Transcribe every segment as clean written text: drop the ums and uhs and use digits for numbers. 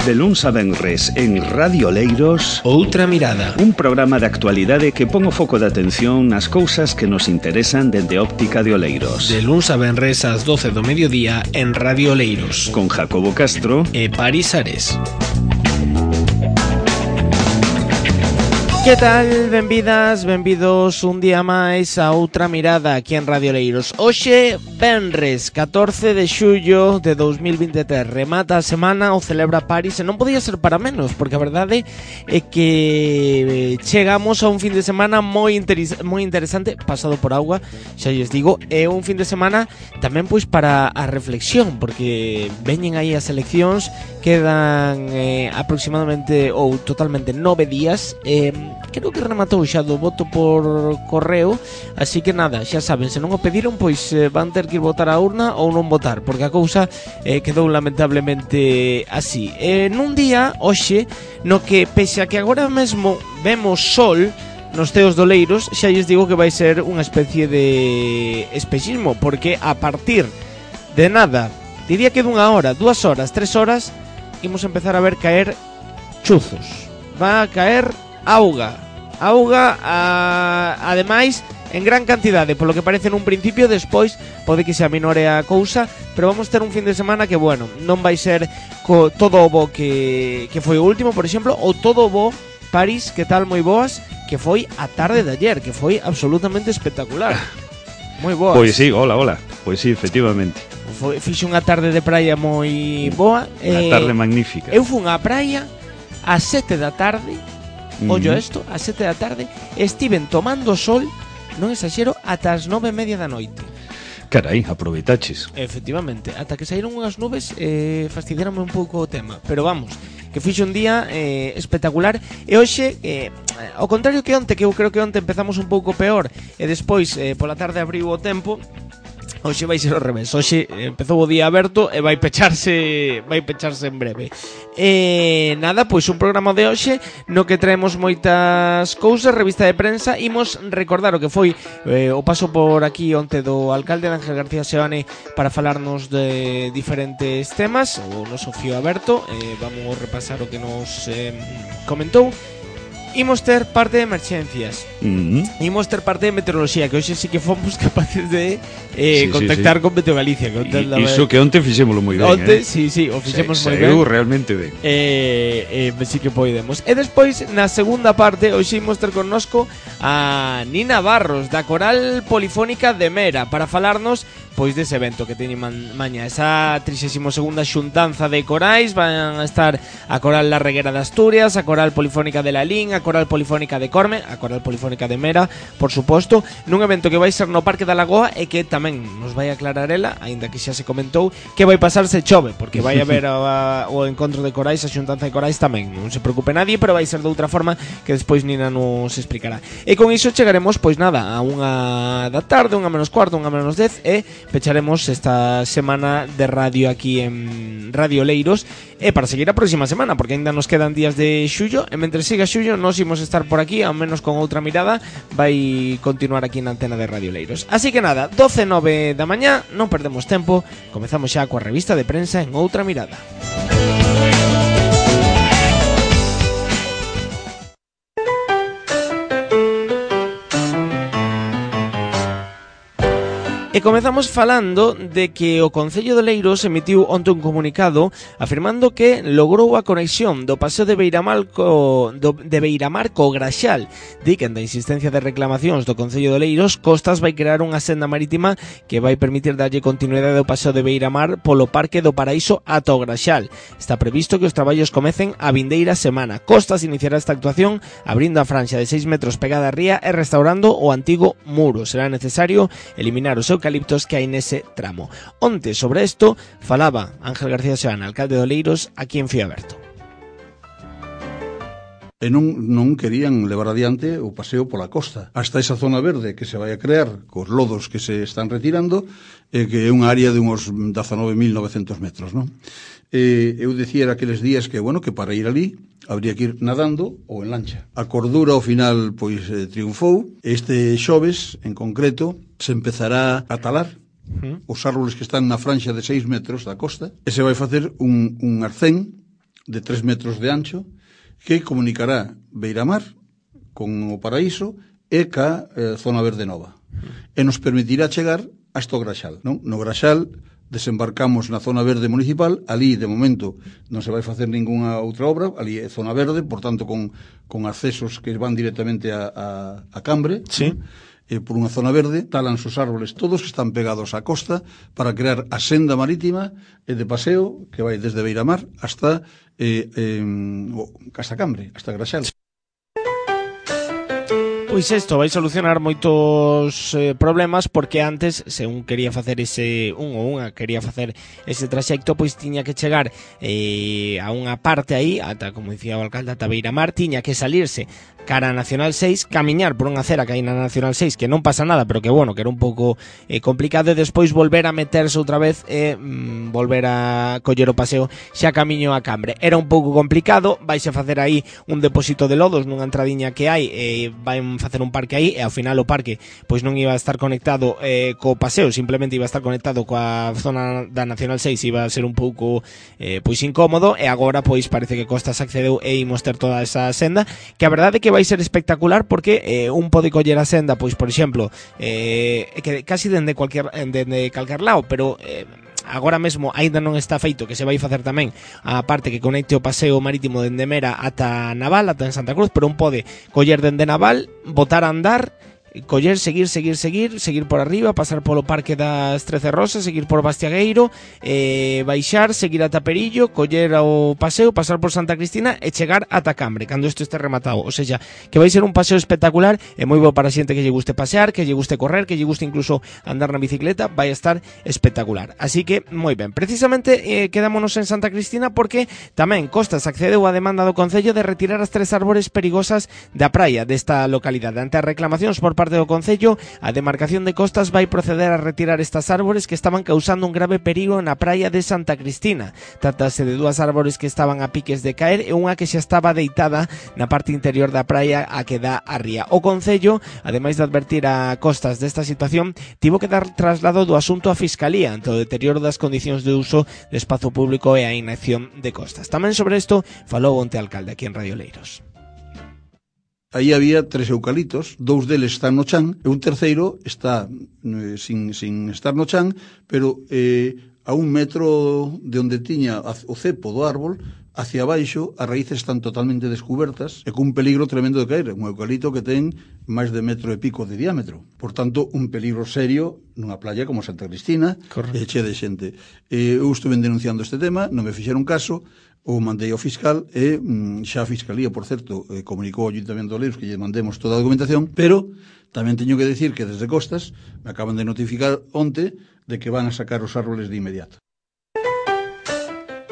De luns a venres en Radio Oleiros, Outra Mirada, un programa de actualidade que pon o foco de atención nas cousas que nos interesan dende óptica de Oleiros. de luns a venres ás 12 do mediodía en Radio Oleiros, Con Jacobo Castro e Paris Ares. Que tal? Benvidas, benvidos un día máis a Outra Mirada aquí en Radio Oleiros. Hoxe, venres, 14 de xullo de 2023, remata a semana, o celebra Paris, e non podía ser para menos, porque a verdade é que chegamos a un fin de semana moi interesante, pasado por agua, xa lles digo, é un fin de semana tamén pois para a reflexión, porque veñen aí as eleccións, quedan aproximadamente ou totalmente 9 días, creo que rematou xa do voto por correo, así que nada, xa saben, se non o pediron, pois van ter que ir votar á urna ou non votar, porque a cousa quedou lamentablemente así. Nun día, hoxe, no que pese a que agora mesmo vemos sol nos ceos do Oleiros, xa lles digo que vai ser unha especie de espexismo, porque a partir de nada, diría que dunha hora, 2 horas, 3 horas, imos empezar a ver caer chuzos. Va a caer auga, ademais en gran cantidade, polo que parece nun principio, despois pode que se aminore a cousa, pero vamos ter un fin de semana que, bueno, non vai ser todo o bo que foi o último, por exemplo, ou todo o bo, París, que tal, moi boas, que foi a tarde de ayer, que foi absolutamente espectacular. Moi boas. Pois sí, hola, pois sí, efectivamente. Fixe unha tarde de praia moi boa. Unha tarde magnífica. Eu fun á praia ás 7 da tarde, ollo isto, ás 7 da tarde, estiven tomando sol, non exagero, ata as 9:30 da noite. Carai, aproveitaches. Efectivamente, ata que saíron unhas nubes, fastidiárame un pouco o tema, pero vamos, que fixe un día espectacular. E hoxe, ao contrario que onte, que eu creo que onte empezamos un pouco peor e despois pola tarde abriu o tempo, hoxe vai ser ao revés. Hoxe empezou o día aberto e vai pecharse en breve. Nada, pois un programa de hoxe no que traemos moitas cousas, revista de prensa. Imos recordar o que foi o paso por aquí onte do alcalde Ángel García Seoane para falarnos de diferentes temas, o noso fío aberto. Vamos repasar o que nos comentou. Imos ter parte de emerxencias, imos ter parte de meteoroloxía, que hoxe sí que fomos capaces de contactar con Meteo Galicia. Iso que onte fixémolo moi ben. Onte, sí, o fixemos moi ben. Realmente ben. Sí que podemos. E despois, na segunda parte, hoxe imos ter connosco a Nina Barros, da Coral Polifónica de Mera, para falarnos pois dese evento que teñen mañá, esa 32ª xuntanza de corais. Van a estar a Coral La Reguera de Asturias, a Coral Polifónica de Lalín, a Coral Polifónica de Corme, a Coral Polifónica de Mera, por suposto, nun evento que vai ser no Parque da Lagoa e que tamén nos vai aclarar ela, aínda que xa se comentou, que vai pasar se chove, porque vai haber o encontro de corais, a xuntanza de corais tamén, non se preocupe nadie, pero vai ser de outra forma que despois Nina nos explicará. E con iso chegaremos, pois nada, a 1 da tarde, 1:15, 1:10, e pecharemos esta semana de radio aquí en Radio Oleiros, e para seguir a próxima semana, porque ainda nos quedan días de xullo, e mentre siga xullo nos imos estar por aquí, ao menos con Outra Mirada vai continuar aquí na antena de Radio Oleiros. Así que nada, 12:09 da mañá, non perdemos tempo, comezamos xa coa revista de prensa en Outra Mirada. E comezamos falando de que o Concello de Oleiros emitiu onte un comunicado afirmando que logrou a conexión do paseo de Beiramar co Graxal. Di que, en da insistencia de reclamacións do Concello de Oleiros, Costas vai crear unha senda marítima que vai permitir darlle continuidade ao paseo de Beiramar polo Parque do Paraíso ata o Graxal. Está previsto que os traballos comecen a vindeira semana. Costas iniciará esta actuación abrindo a franxa de 6 metros pegada á ría e restaurando o antigo muro. Será necesario eliminar os eucaliptos que hai nese tramo. Onte sobre isto falaba Ángel García Seoane, alcalde de Oleiros, aquí en Fío Aberto. E non querían levar adiante o paseo pola costa hasta esa zona verde que se vai a crear cos lodos que se están retirando, que é unha área de uns 19.900 metros, non? Eu dicía aqueles días que, bueno, que para ir ali habría que ir nadando ou en lancha. A cordura ao final pois triunfou. Este xoves en concreto se empezará a talar os árboles que están na franxa de 6 metros da costa e se vai facer un arcén de 3 metros de ancho que comunicará Beiramar con o Paraíso e ca zona verde nova. E nos permitirá chegar hasta o Graxal, non? No Graxal desembarcamos na zona verde municipal, ali de momento non se vai facer ningunha outra obra, ali é zona verde, por tanto con accesos que van directamente a Cambre, sí. Por unha zona verde, talanse os árboles todos que están pegados á costa para crear a senda marítima de paseo que vai desde Beiramar hasta Cambre, hasta Graxal. Pois isto vai solucionar moitos problemas, porque antes, se un quería facer quería facer ese traxecto, pois tiña que chegar a unha parte aí, ata, como dicía o alcalde, ata Beiramar, tiña que salirse cara a Nacional 6, camiñar por unha acera que hai na Nacional 6, que non pasa nada, pero que bueno, que era un pouco complicado, e despois volver a meterse outra vez e volver a coller o paseo xa camiño a Cambre. Era un pouco complicado, vais a facer aí un depósito de lodos nunha entradiña que hai, vai facer un parque aí, e ao final o parque pois non iba a estar conectado co paseo, simplemente iba a estar conectado coa zona da Nacional 6, iba a ser un pouco pois incómodo, e agora pois parece que Costas accedeu e imos ter toda esa senda, que a verdade é que vai ser espectacular, porque un pode coller a senda, pois por exemplo, que casi dende calquer lado, pero agora mesmo aínda non está feito, que se vai facer tamén a parte que conecte o paseo marítimo dende Mera ata Naval, ata en Santa Cruz, pero un pode coller dende Naval, botar a andar, coller, seguir por arriba, pasar polo Parque das 13 Rosas, seguir por Bastiagueiro, baixar, seguir ata Perillo, coller o paseo, pasar por Santa Cristina e chegar ata Cambre cando isto este rematado. O sea, que vai ser un paseo espectacular e moi bo para a xente que lle guste pasear, que lle guste correr, que lle guste incluso andar na bicicleta, vai a estar espectacular. Así que, moi ben, precisamente quedámonos en Santa Cristina, porque tamén Costas accedeu á demanda do Concello de retirar as 3 árbores perigosas da praia desta localidade. Ante as reclamacións por parte do Concello, a demarcación de Costas vai proceder a retirar estas árbores que estaban causando un grave perigo na praia de Santa Cristina. Trátase de 2 árbores que estaban a piques de caer e unha que xa estaba deitada na parte interior da praia a que dá a ría. O Concello, ademais de advertir a Costas desta situación, tivo que dar traslado do asunto á Fiscalía ante o deterioro das condicións de uso de espazo público e a inacción de Costas. Tamén sobre isto falou onte alcalde aquí en Radio Leiros. Aí había 3 eucaliptos, 2 deles están no chan e un terceiro está sin estar no chan, pero a 1 metro de onde tiña o cepo do árbol, hacia abaixo, as raíces están totalmente descubertas e cun peligro tremendo de caer. Un eucalipto que ten máis de 1,5 metros de diámetro. Por tanto, un peligro serio nunha playa como Santa Cristina, che de xente. Eu estuve denunciando este tema, non me fixeron caso, o mandei ao fiscal e xa a Fiscalía, por certo, comunicou ao Ayuntamiento de Oleiros que lle mandemos toda a documentación, pero tamén teño que decir que desde Costas me acaban de notificar onte de que van a sacar os árboles de inmediato.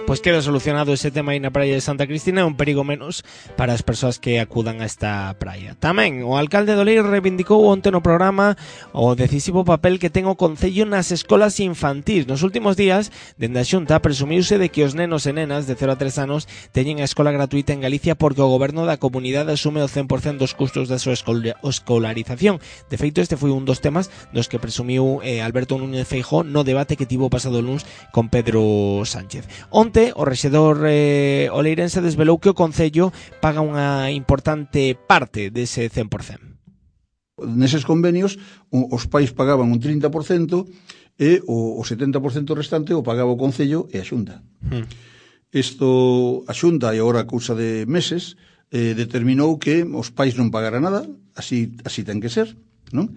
Pois queda solucionado ese tema aí na praia de Santa Cristina, é un perigo menos para as persoas que acudan a esta praia. Tamén, o alcalde de Oleiros reivindicou onte no programa o decisivo papel que ten o Concello nas escolas infantís. Nos últimos días, dende a Xunta, presumiuse de que os nenos e nenas de 0 a 3 anos teñen a escola gratuita en Galicia porque o goberno da comunidade asume o 100% dos custos da súa escolarización. De feito, este foi un dos temas dos que presumiu Alberto Núñez Feijóo no debate que tivo pasado luns con Pedro Sánchez. O rexedor oleirense desvelou que o Concello paga unha importante parte dese 100%. Neses convenios, os pais pagaban un 30% e o 70% restante o pagaba o Concello e a Xunta. Isto, a Xunta, e agora a cousa de meses, determinou que os pais non pagaran nada, así ten que ser, non?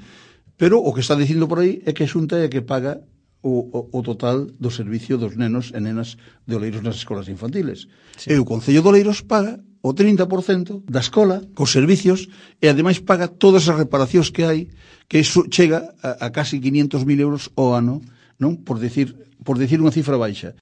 Pero o que está dicindo por aí é que a Xunta é que paga o total do servicio dos nenos e nenas de Oleiros nas escolas infantiles. Sí. E o Concello de Oleiros paga o 30% da escola cos servicios e ademais paga todas as reparacións que hai, que iso chega a casi 500.000 euros ao ano, non? Por decir unha cifra baixa.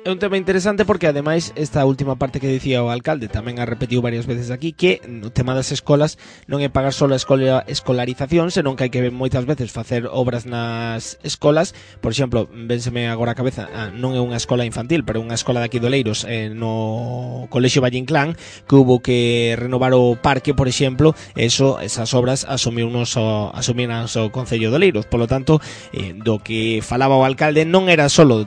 É un tema interesante porque ademais esta última parte que dicía o alcalde tamén a repetiu varias veces aquí, que no tema das escolas non é pagar só a escolarización, senón que hai que moitas veces facer obras nas escolas. Por exemplo, vénseme agora a cabeza, non é unha escola infantil, pero unha escola de aquí de Oleiros, no Colexio Valle Inclán, que hubo que renovar o parque, por exemplo, esas obras asumiunos o Concello de Oleiros. Por lo tanto, do que falaba o alcalde non era solo,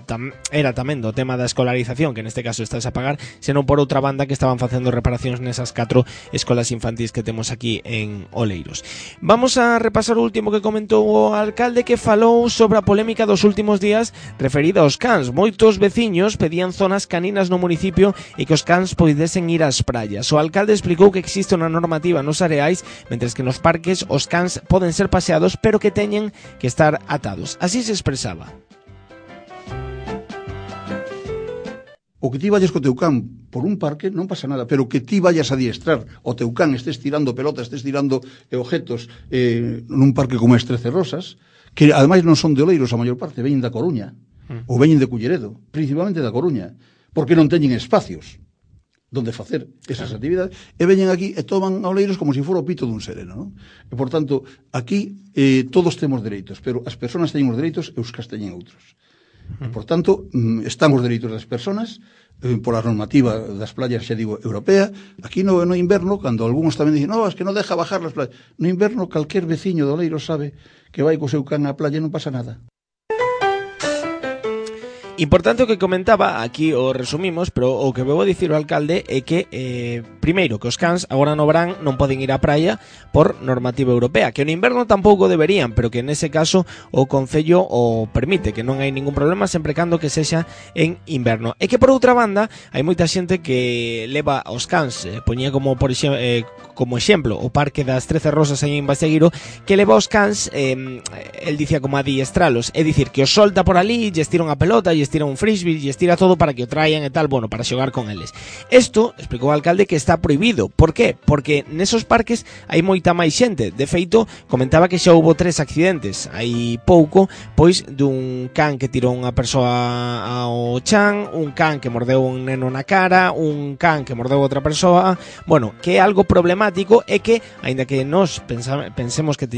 era tamén do tema das escolarización, que neste caso estás a pagar, senón por outra banda que estaban facendo reparacións nesas 4 escolas infantís que temos aquí en Oleiros. Vamos a repasar o último que comentou o alcalde, que falou sobre a polémica dos últimos días referida aos cans. Moitos veciños pedían zonas caninas no municipio e que os cans poidesen ir ás praias. O alcalde explicou que existe unha normativa nos areais, mentres que nos parques os cans poden ser paseados, pero que teñen que estar atados. Así se expresaba. O que ti vayas co teu can por un parque non pasa nada, pero que ti vayas a adiestrar o teu can, estés tirando pelotas, estés tirando objetos nun parque como as Trece Rosas, que ademais non son de Oleiros, a maior parte veñen da Coruña, ou veñen de Culleredo, principalmente da Coruña, porque non teñen espacios donde facer esas actividades, e veñen aquí e toman a Oleiros como se fora o pito dun sereno, non? E, por tanto, aquí todos temos dereitos, pero as persoas teñen os dereitos e os cans teñen outros. Por tanto, están os dereitos das persoas pola normativa das playas, xa digo, europea. Aquí no inverno, cando algúns tamén dicen no, es que non deja bajar las playas, no inverno calquer veciño de Oleiros sabe que vai co seu can á playa e non pasa nada. Importante o que comentaba, aquí o resumimos, pero o que vou a dicir o alcalde é que, primeiro, que os cans agora no verán non poden ir á praia por normativa europea, que no inverno tampouco deberían, pero que nese caso o Concello o permite, que non hai ningún problema sempre cando que sexa en inverno. E que por outra banda, hai moita xente que leva os cans, poñía como por como exemplo o Parque das Trece Rosas aí en Bastegueiro, que leva os cans, el dicía como adiestralos, é dicir, que os solta por ali, lles tira unha pelota, lles tira un frisbee, lles tira todo para que o traian e tal, bueno, para xogar con eles. Isto, explicou o alcalde, que está prohibido. Por qué? Porque nesos parques hai moita máis xente. De feito, comentaba que xa houbo 3 accidentes hai pouco, pois dun can que tirou unha persoa ao chan, un can que mordeu un neno na cara, un can que mordeu outra persoa. Bueno, que é algo problemático é que, aínda que nós pensemos que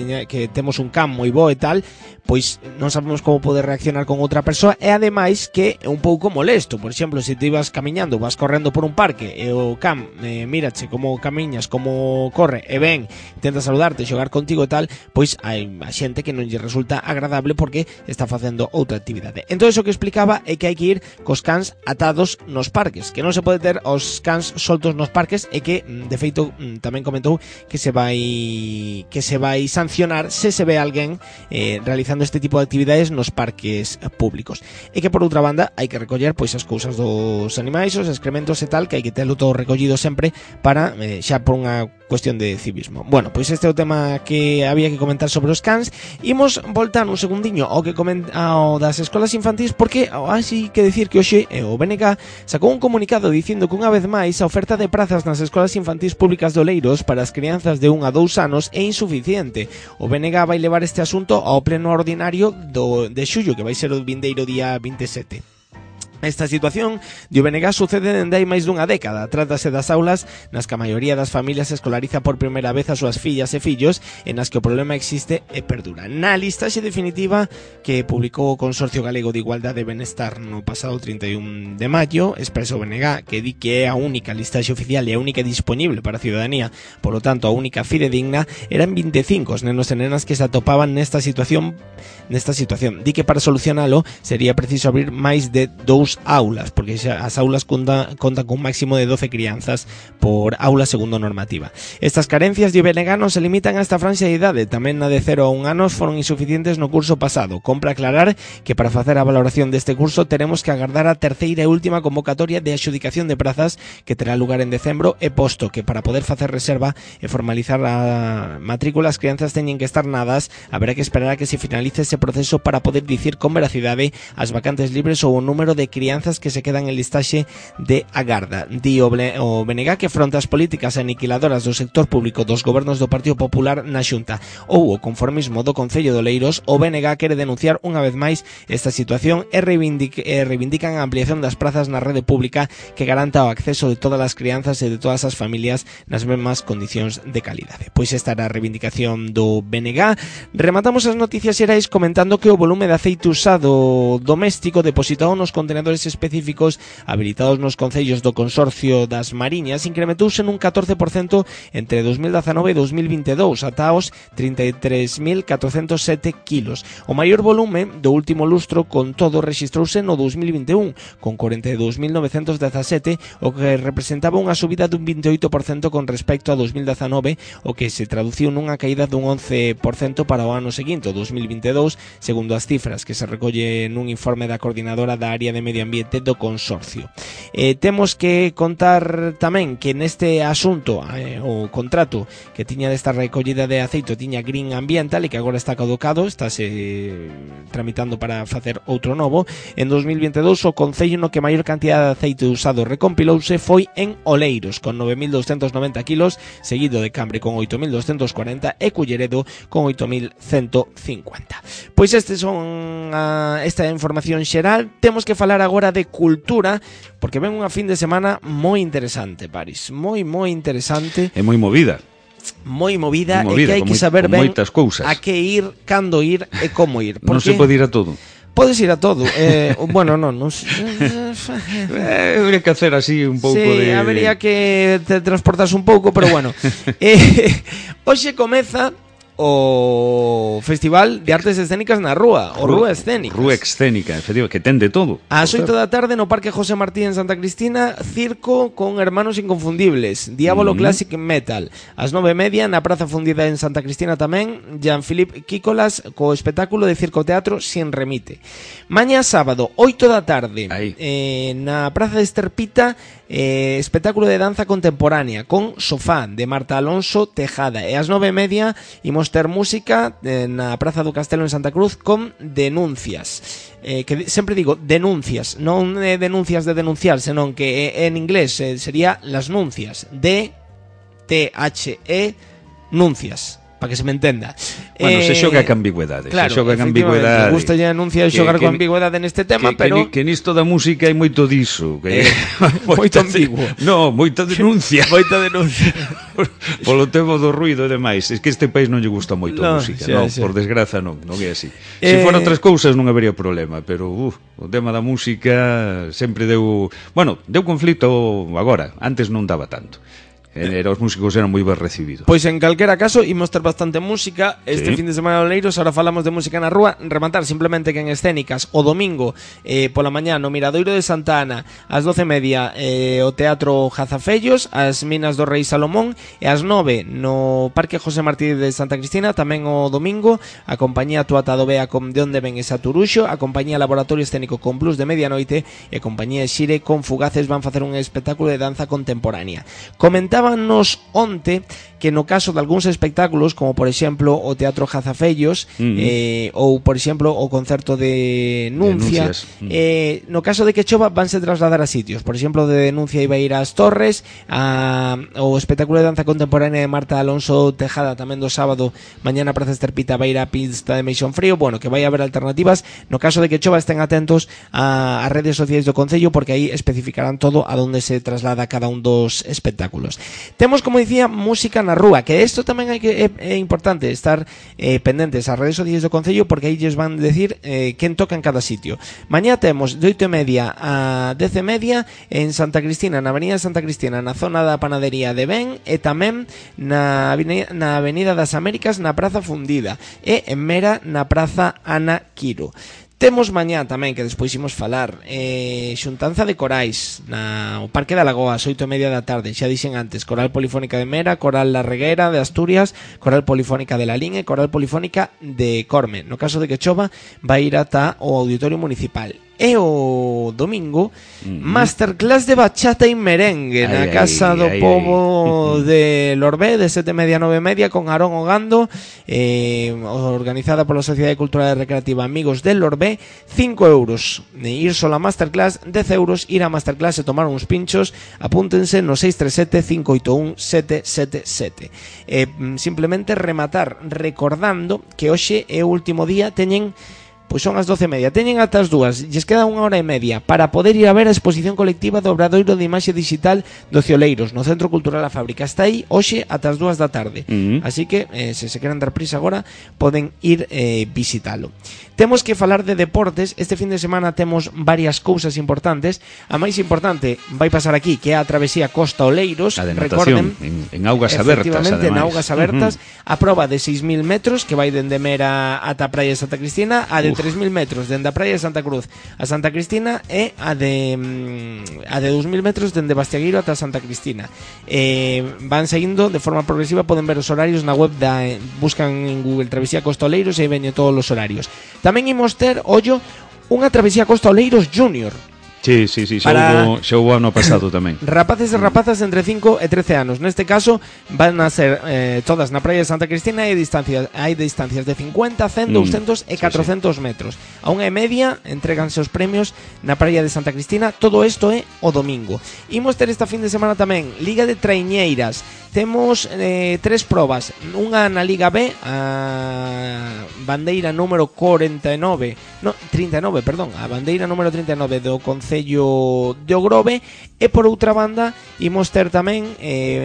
temos un can moi bo e tal, pois non sabemos como poder reaccionar con outra persoa, e ademais que é un pouco molesto. Por exemplo, se ti vas camiñando, vas correndo por un parque e o can mírache como camiñas, como corre e ven, intenta saludarte, xogar contigo e tal, pois hai a xente que non lle resulta agradable porque está facendo outra actividade. Entón, o que explicaba é que hai que ir cos cans atados nos parques, que non se pode ter os cans soltos nos parques, e que, de feito, tamén comentou que se vai sancionar se se ve alguén realizando este tipo de actividades nos parques públicos. E que por outra banda hai que recoller pois as cousas dos animais, os excrementos e tal, que hai que telo todo recollido sempre para xa por unha cuestión de civismo. Bueno, pois este é o tema que había que comentar sobre os cans. Imos voltar un segundiño ao que ao das escolas infantís, porque así que decir que hoxe o BNG sacou un comunicado dicindo que unha vez máis a oferta de prazas nas escolas infantís públicas de Oleiros para as crianzas de 1 a 2 anos é insuficiente. O BNG vai levar este asunto ao pleno ordinario de xullo, que vai ser o vindeiro día 27. Esta situación de BNG sucede dende hai máis dunha década. Trátase das aulas nas que a maioría das familias escolariza por primeira vez as súas fillas e fillos, e nas que o problema existe e perdura. Na listaxe definitiva que publicou o Consorcio Galego de Igualdade e Benestar no pasado 31 de maio, expresa o BNG que di que é a única listaxe oficial e a única disponible para a ciudadanía, por lo tanto a única fidedigna, eran 25 os nenos e nenas que se atopaban nesta situación. Di que para solucionalo sería preciso abrir máis de 2 aulas, porque xa as aulas contan con un máximo de 12 crianzas por aula segundo normativa. Estas carencias de BNG non se limitan a esta franxa de idade, tamén na de 0 a 1 anos foron insuficientes no curso pasado. Compra aclarar que para facer a valoración deste curso teremos que agardar a terceira e última convocatoria de adxudicación de prazas que terá lugar en decembro, e posto que para poder facer reserva e formalizar a matrícula as crianzas teñen que estar nadas, haberá que esperar a que se finalice ese proceso para poder dicir con veracidade as vacantes libres ou o número de crianzas que se quedan en listaxe de agarda. Di o BNG que fronte as políticas aniquiladoras do sector público dos gobernos do Partido Popular na Xunta ou o conformismo do Concello de Oleiros, o BNG quere denunciar unha vez máis esta situación e reivindican a ampliación das prazas na rede pública que garanta o acceso de todas as crianzas e de todas as familias nas mesmas condicións de calidade. Pois esta era a reivindicación do BNG. Rematamos as noticias xerais comentando que o volume de aceite usado doméstico depositado nos contenedores indicadores específicos habilitados nos concellos do Consorcio das Mariñas incrementouse nun 14% entre 2019 e 2022 ata os 33.407 kilos. O maior volume do último lustro con todo rexistrouse no 2021 con 42.917, o que representaba unha subida dun 28% con respecto a 2019, o que se traduciu nunha caída dun 11% para o ano seguinte, o 2022, segundo as cifras que se recolle nun informe da coordinadora da área de medio ambiente do Consorcio. Temos que contar tamén que neste asunto o contrato que tiña desta recollida de aceite tiña Green Ambiental e que agora está caducado, estáse tramitando para facer outro novo. En 2022 o concello no que maior cantidad de aceite usado recompilouse foi en Oleiros con 9.290 kilos, seguido de Cambre con 8.240 e Culleredo con 8.150. Pois estes son esta información xeral. Temos que falar agora de cultura porque ven unha fin de semana moi interesante, Paris, moi interesante e moi movida. Moi movida e que hai que saber ben a que ir, cando ir e como ir. Non se pode ir a todo. Podes ir a todo. Bueno, non habría que hacer así un pouco sí, habría que te transportarse un pouco, pero bueno. Hoxe comeza o Festival de Artes Escénicas na Rúa, o Rúa Escénicas. Rúa Escénica, efectivamente, que ten de todo. Ás 8 da tarde no Parque José Martí en Santa Cristina, circo con Hermanos Inconfundibles, Diablo Classic Metal. Ás 9:30 na Praza Fundida en Santa Cristina tamén, Jean-Philippe Quícolas co espectáculo de circo teatro Sin Remite. Mañá sábado, 8 da tarde, na Praza de Esterpita, espectáculo de danza contemporánea con Sofá de Marta Alonso Tejada. E ás 9:30 imos ter música na Praza do Castelo en Santa Cruz con Denuncias. Que sempre digo denuncias, non denuncias de denunciar, senón que en inglés sería las nuncias, D-T-H-E nuncias, para que se me entenda. Bueno, se xoga con ambigüedade. Claro, se xoga con ambigüedade. Me gusta ya anunciar xogar con ambigüedade neste tema, pero que nisto da música hai moito diso, moito ambiguo. No, moita denuncia. Moita denuncia. Polo tema do ruido e demais. Es que este país non lle gusta moito a música, xa. Por desgraza non é así. Se foran outras cousas non habería problema, pero o tema da música sempre deu conflito agora, antes non daba tanto. Os músicos eran moi ben recibidos. Pois en calquera caso imos ter bastante música este fin de semana de Oleiros. Ahora falamos de música na rúa. Rematar simplemente que en Escénicas o domingo pola mañá no Miradoiro de Santa Ana ás 12:30 o Teatro Jazafellos, as Minas do Rei Salomón, e ás 9 no Parque José Martí de Santa Cristina. Tamén o domingo a compañía Tuata do Bea con De onde ven esa Turuxo, a compañía Laboratorio Escénico con Blues de Medianoite e a compañía Xire con Fugaces van facer un espectáculo de danza contemporánea. Comentábanos onte que no caso de algúns espectáculos, como por exemplo o Teatro Jazafellos, ou por exemplo o concerto de Nuncia, no caso de que chova vanse trasladar a sitios. Por exemplo, de Denuncia iba a ir ás Torres, o espectáculo de danza contemporánea de Marta Alonso Tejada tamén do sábado mañá na Praza Esterpita vai ir a pista de Meixón Frío. Bueno, que vai haber alternativas. No caso de que chova estén atentos ás redes sociais do Concello, porque aí especificarán todo a donde se traslada cada un dos espectáculos. Temos, como dicía, música na rúa, que isto tamén é importante estar pendentes ás redes sociais do Concello, porque aí lles van decir quen toca en cada sitio. Mañá temos de 8:30 a 10:30 en Santa Cristina, na Avenida de Santa Cristina, na zona da panadería de Ben, e tamén na Avenida das Américas, na Praza Fundida, e en Mera, na Praza Ana Quiro. Temos mañá tamén, que despois imos falar, xuntanza de corais no Parque da Lagoa, ás 8:30 da tarde. Xa dixen antes, Coral Polifónica de Mera, Coral La Reguera de Asturias, Coral Polifónica de Lalín e Coral Polifónica de Corme. No caso de que chova, vai ir ata o Auditorio Municipal. E o domingo, masterclass de bachata e merengue na Casa do Pobo de Lorbé, de 7:30 a 9:30, con Aarón Ogando, organizada pola Sociedade Cultural e Recreativa Amigos del Lorbé. 5 euros ir sola a masterclass, 10 euros ir a masterclass e tomar uns pinchos. Apúntense no 637-581-777. Simplemente rematar recordando que hoxe é o último día, teñen Pois son as 12:30. Teñen ata as 2, lles queda 1 hora e media para poder ir a ver a exposición colectiva do Obradoiro de Imaxe Digital do Cioleiros no Centro Cultural A Fábrica. Está aí hoxe ata as 2 da tarde. Así que, se queren dar prisa agora, poden ir visitalo. Temos que falar de deportes. Este fin de semana temos varias cousas importantes. A máis importante vai pasar aquí, que é a travesía Costa Oleiros. A de natación, en augas abertas, efectivamente, en ademais. augas abertas. A proba de 6.000 metros, que vai dende Mera ata a praia de Santa Cristina, a de 3.000 metros dende a praia de Santa Cruz a Santa Cristina, e a de 2.000 metros dende Bastiagueiro ata Santa Cristina. Van seguindo de forma progresiva, poden ver os horarios na web buscan en Google Travesía Costa Oleiros e veñen todos os horarios. Tamén imos ter, ollo, unha Travesía Costa Oleiros Junior. Sí, xa houve ano pasado tamén. Rapaces e rapazas entre 5 e 13 anos. Neste caso van a ser todas na praia de Santa Cristina e hai distancias de 50, 100, 200 e 400 metros. A 1:30 entréganse os premios na praia de Santa Cristina. Todo isto é o domingo. Imos ter esta fin de semana tamén Liga de Traiñeiras. Temos 3 probas. Unha na Liga B, a bandeira número 39, a bandeira número 39 do Concello de Ogrove, e por outra banda imos ter tamén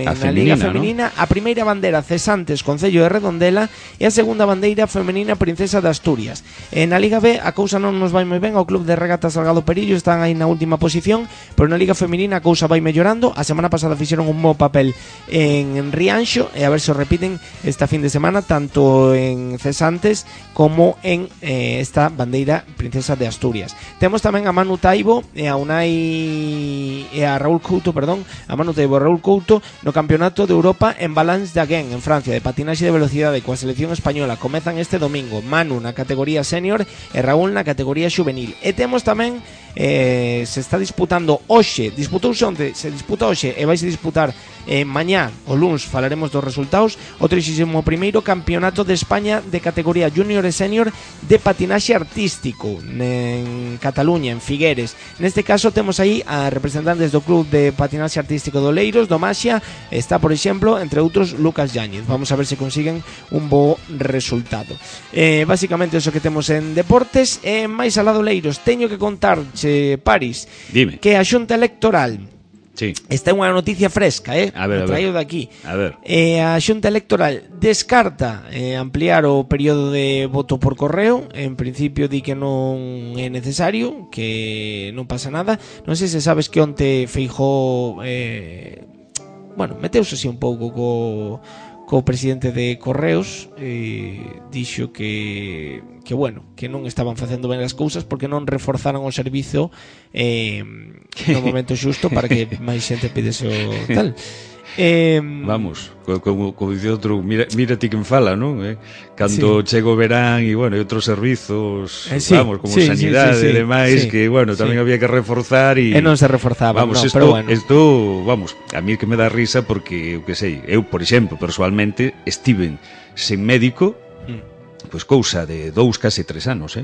na Liga Feminina, ¿no? A primeira bandeira Cesantes, Concello de Redondela, e a segunda bandeira femenina Princesa de Asturias. Na Liga B a cousa non nos vai moi ben. O Club de Regatas Salgado Perillo están aí na última posición, pero na Liga Feminina a cousa vai mellorando. A semana pasada fixeron un bo papel en Rianxo, e a ver se o repiten esta fin de semana, tanto en Cesantes como en esta bandeira Princesa de Asturias. Temos tamén a Manu Taibo e a Unai e a Raúl Couto, a Manu Taibo e Raúl Couto no Campeonato de Europa en Balance d'Agen en Francia, de patinaxe de velocidade coa selección española. Comezan este domingo, Manu na categoría senior e Raúl na categoría xuvenil. E temos tamén se está disputando hoxe, se disputa hoxe e vai se disputar mañá, o luns, falaremos dos resultados, o 31º Campeonato de España de categoría junior e senior de patinaxe artístico en Cataluña, en Figueres. Neste caso temos aí a representantes do Club de Patinaxe Artístico do Oleiros, do Maxia. Está, por exemplo, entre outros, Lucas Yáñez. Vamos a ver se consiguen un bo resultado. Básicamente eso que temos en deportes. Máis alado Oleiros, teño que contarche, Paris, dime, que a Xunta Electoral, sí, esta é unha noticia fresca, a ver, traído daqui. A ver. A Xunta Electoral descarta ampliar o período de voto por correo. En principio di que non é necesario, que non pasa nada. Non sei se sabes que onte Feijóo meteuse así un pouco co presidente de Correos, dixo que non estaban facendo ben as cousas porque non reforzaron o servizo no momento xusto para que máis xente pidese o tal. Vamos, como dice outro, mira ti quen fala, non? Cando chega o verán e, e outros servizos, vamos, como sanidade e demais, que, tamén había que reforzar e non se reforzaba, vamos, no, pero vamos, a mí que me dá risa porque, eu, por exemplo, personalmente, estiven sen médico, pois cousa de 2, case 3 anos,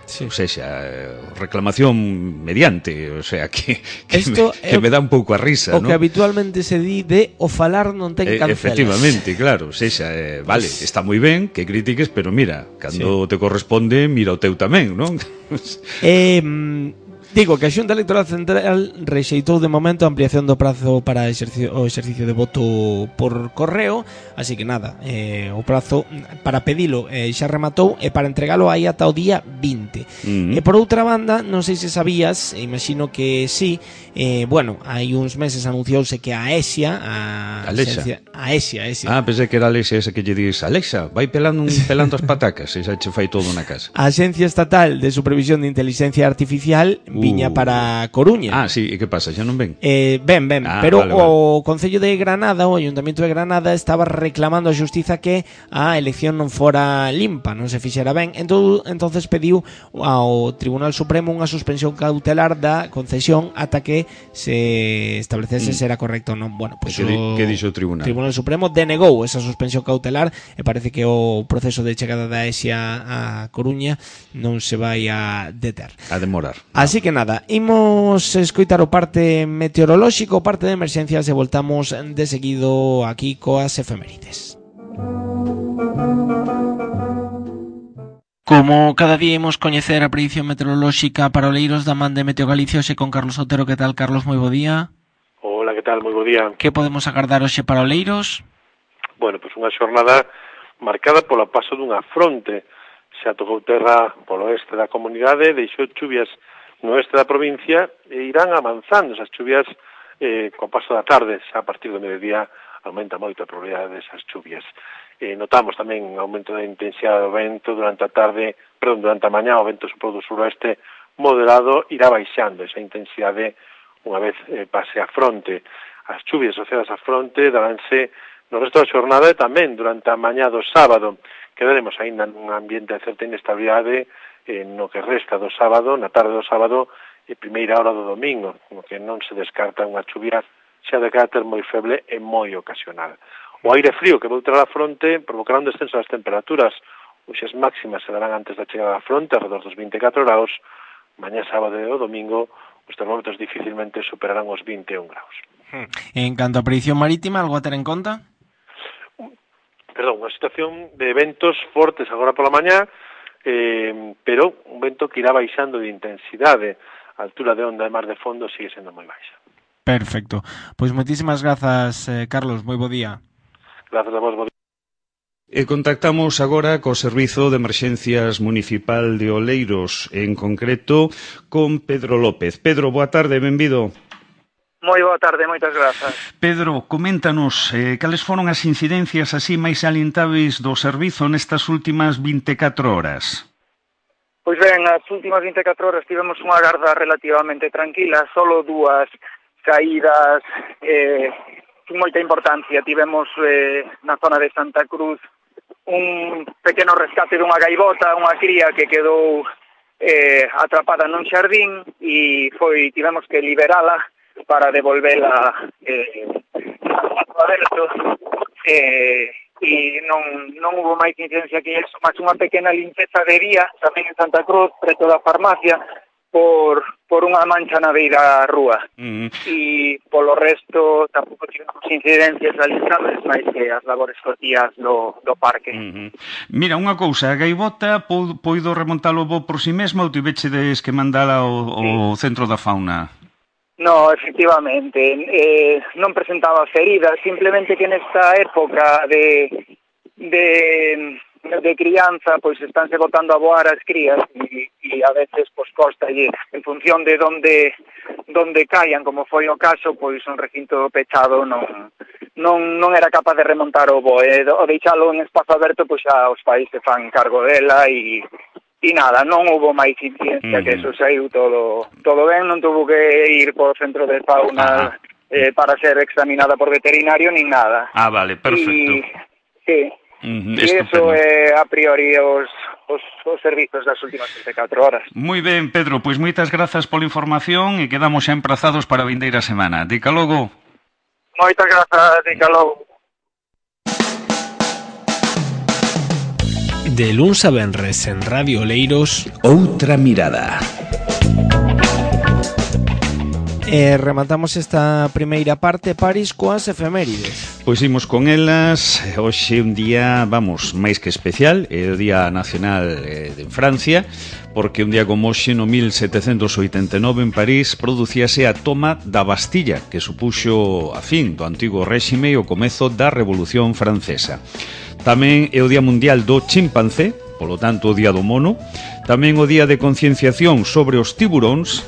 Sí. O sea, reclamación mediante, o sea, que me dá un pouco a risa, o ¿no? que habitualmente se di de o falar non ten cancelas. Efectivamente, claro, o sea, vale, está moi ben que critiques, pero mira, cando te corresponde, mira o teu tamén, non? Digo que a Xunta Electoral Central rexeitou de momento a ampliación do prazo para o exercicio de voto por correo, así que nada, o prazo para pedilo xa rematou e para entregalo aí ata o día 20. E por outra banda, non sei se sabías, imagino que sí, hai uns meses anunciouse que a ESIA, a ESIA. Pensei que era a Alexa esa que lle dis, Alexa, vai pelando as patacas, e xa che fai todo na casa. A Axencia Estatal de Supervisión de Inteligencia Artificial viña para Coruña. Sí, e que pasa, xa non ven? Ben, pero vale. O Concello de Granada, o Ayuntamiento de Granada, estaba reclamando a Xustiza que a elección non fora limpa, non se fixera ben. Entonces pediu ao Tribunal Supremo unha suspensión cautelar da concesión ata que se establecese se era correcto ou non. Que dixo o Tribunal? O Tribunal Supremo denegou esa suspensión cautelar e parece que o proceso de chegada da ESIA a Coruña non se vai a deter. A demorar. Así que nada, imos escoitar o parte meteorolóxico, o parte de emerxencias, e voltamos de seguido aquí coas efemérides. Como cada día imos coñecer a predición meteorolóxica para Oleiros da man de Meteo Galicia, hoxe con Carlos Otero. Que tal, Carlos? Moi bo día. Hola, que tal? Moi bo día. Que podemos agardar hoxe para Oleiros? Bueno, pois unha xornada marcada polo paso dunha fronte. Xa tocou terra polo oeste da comunidade, deixou chuvias no oeste da provincia e irán avanzando esas chuvias co paso da tarde. Xa a partir do mediodía aumenta moito a probabilidade desas chuvias. Notamos tamén un aumento da intensidade do vento durante a mañá. O vento sopro do suroeste moderado irá baixando esa intensidade unha vez pase a fronte. As chuvias asociadas á fronte daránse no resto da xornada e tamén durante a mañá do sábado. Quedaremos aínda nun ambiente de certa inestabilidade no que resta do sábado, na tarde do sábado e primeira hora do domingo, no que non se descarta unha chuvia xa de carácter moi feble e moi ocasional. O aire frío que voltará a fronte provocará un descenso das temperaturas. Hoxe as máximas se darán antes da chegada da fronte, alrededor dos 24 graus. Mañá sábado e o domingo os termómetros dificilmente superarán os 21 graus. En canto a predicción marítima, algo a ter en conta? Perdón, unha situación de ventos fortes agora pola mañá, pero un vento que irá baixando de intensidade. A altura de onda e mar de fondo sigue sendo moi baixa. Perfecto. Pois moitísimas grazas, Carlos. Moi bo día. Grazas a vos, bo día. E contactamos agora co Servizo de Emerxencias Municipal de Oleiros, en concreto con Pedro López. Pedro, boa tarde, benvido. Moi boa tarde, moitas grazas. Pedro, coméntanos cales foron as incidencias así máis salientáveis do servizo nestas últimas 24 horas. Pois ben, as últimas 24 horas tivemos unha garda relativamente tranquila, solo dúas caídas sin moita importancia. Tivemos na zona de Santa Cruz un pequeno rescate dunha gaivota, unha cría que quedou atrapada nun xardín e tivemos que liberala para devolvela ao aberto e non hubo máis incidencia que eso, máis unha pequena limpeza de vía tamén en Santa Cruz, preto da farmacia, por unha mancha na beira rúa. E polo resto tampouco tivemos incidencias realizables máis que as labores cotías do parque. Mira, unha cousa, a gaivota poido remontalo vos por si mesma ou tivechedes que mandala ao centro da fauna? No, efectivamente, non presentaba feridas, simplemente que nesta época de crianza, pois estánse botando a voar as crías e a veces pois costa e en función de donde caian, como foi o caso, pois un recinto pechado non era capaz de remontar o voo, o deixalo en espazo aberto, pois xa os pais se fan cargo dela e nada, non houbo máis incidencia que eso, saiu todo ben, non tuvo que ir por centro de fauna para ser examinada por veterinario nin nada. Ah, vale, perfecto. Sí. E iso é a priori os servizos das últimas 24 horas. Moi ben, Pedro, pois moitas grazas pola información e quedamos xa emprazados para a vindeira semana. Dica logo. Moitas grazas, dica logo. De luns a venres en Radio Oleiros, Outra Mirada. Rematamos esta primeira parte, París, coas efemérides. Pois imos con elas. Hoxe un día, vamos, máis que especial. É o Día Nacional de Francia, porque un día como hoxe, no 1789, en París, producíase a toma da Bastilla, que supuxo a fin do antigo réxime e o comezo da Revolución Francesa. Tamén é o Día Mundial do Chimpancé, polo tanto o Día do Mono. Tamén o Día de Concienciación sobre os tiburóns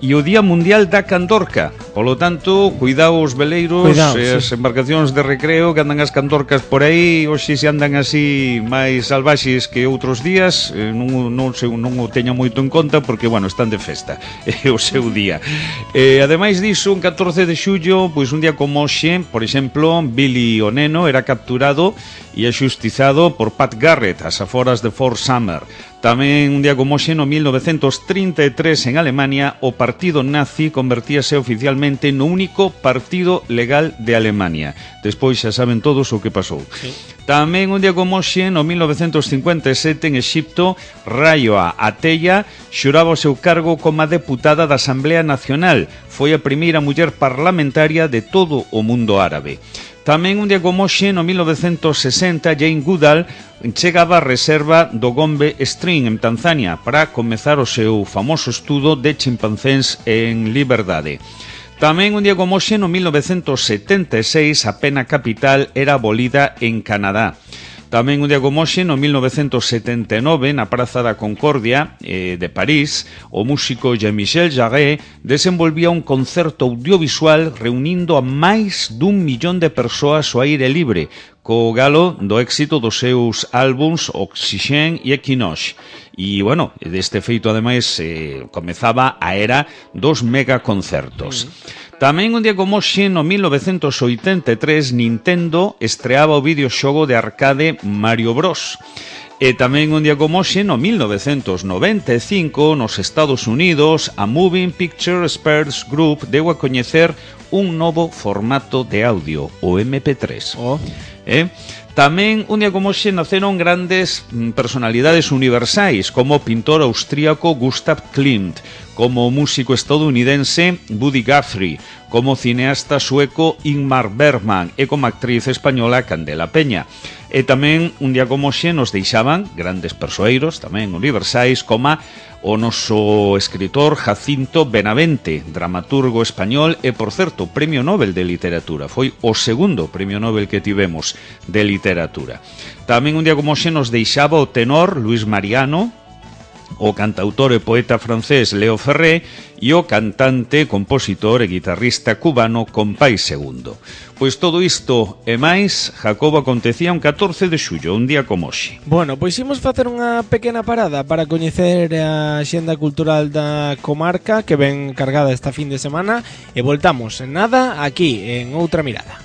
e o Día Mundial da Candorca. Polo tanto, cuidado os veleiros e as embarcacións de recreo que andan as candorcas por aí. Hoxe se andan así máis salvaxes que outros días, non o teña moito en conta porque, bueno, están de festa. É o seu día. Ademais diso, un 14 de xullo, pois un día como hoxe, por exemplo, Billy o Neno era capturado e axustizado por Pat Garrett ás aforas de Fort Sumner. Tamén un día como hoxe, no 1933, en Alemania, o partido nazi convertíase oficialmente no único partido legal de Alemania. Despois xa saben todos o que pasou. Sí. Tamén un día como hoxe, no 1957, en Exipto, Rayoa Ateya xuraba o seu cargo como deputada da Asamblea Nacional. Foi a primeira muller parlamentaria de todo o mundo árabe. Tamén un día como hoxe, no 1960, Jane Goodall chegaba a reserva do Gombe Stream en Tanzania para comezar o seu famoso estudo de chimpancés en liberdade. Tamén un día como hoxe, no 1976, a pena capital era abolida en Canadá. Tamén un día como hoxe, no 1979, na Praza da Concordia de París, o músico Jean-Michel Jarre desenvolvía un concerto audiovisual reunindo a máis dun millón de persoas ao aire libre, co galo do éxito dos seus álbums Oxygen e Equinox. E, bueno, deste feito, ademais, comezaba a era dos megaconcertos. Tamén un día como hoxe, no 1983, Nintendo estreaba o videoxogo de arcade Mario Bros. E tamén un día como hoxe, no 1995, nos Estados Unidos, a Moving Picture Experts Group deu a coñecer un novo formato de audio, o MP3. Tamén un día como hoxe naceron grandes personalidades universais, como o pintor austríaco Gustav Klimt, como o músico estadounidense Buddy Guthrie, como o cineasta sueco Ingmar Bergman e como actriz española Candela Peña. E tamén un día como hoxe nos deixaban grandes persoeiros, tamén universais, como o noso escritor Jacinto Benavente, dramaturgo español e, por certo, Premio Nobel de Literatura. Foi o segundo Premio Nobel que tivemos de literatura. Tamén un día como hoxe nos deixaba o tenor Luis Mariano, o cantautor e poeta francés Leo Ferré e o cantante, compositor e guitarrista cubano Compay Segundo. Pois todo isto e máis, Jacobo, acontecía un 14 de xullo, un día como hoxe. Bueno, pois imos facer unha pequena parada para coñecer a xenda cultural da comarca que ven cargada esta fin de semana e voltamos en nada aquí en Outra Mirada.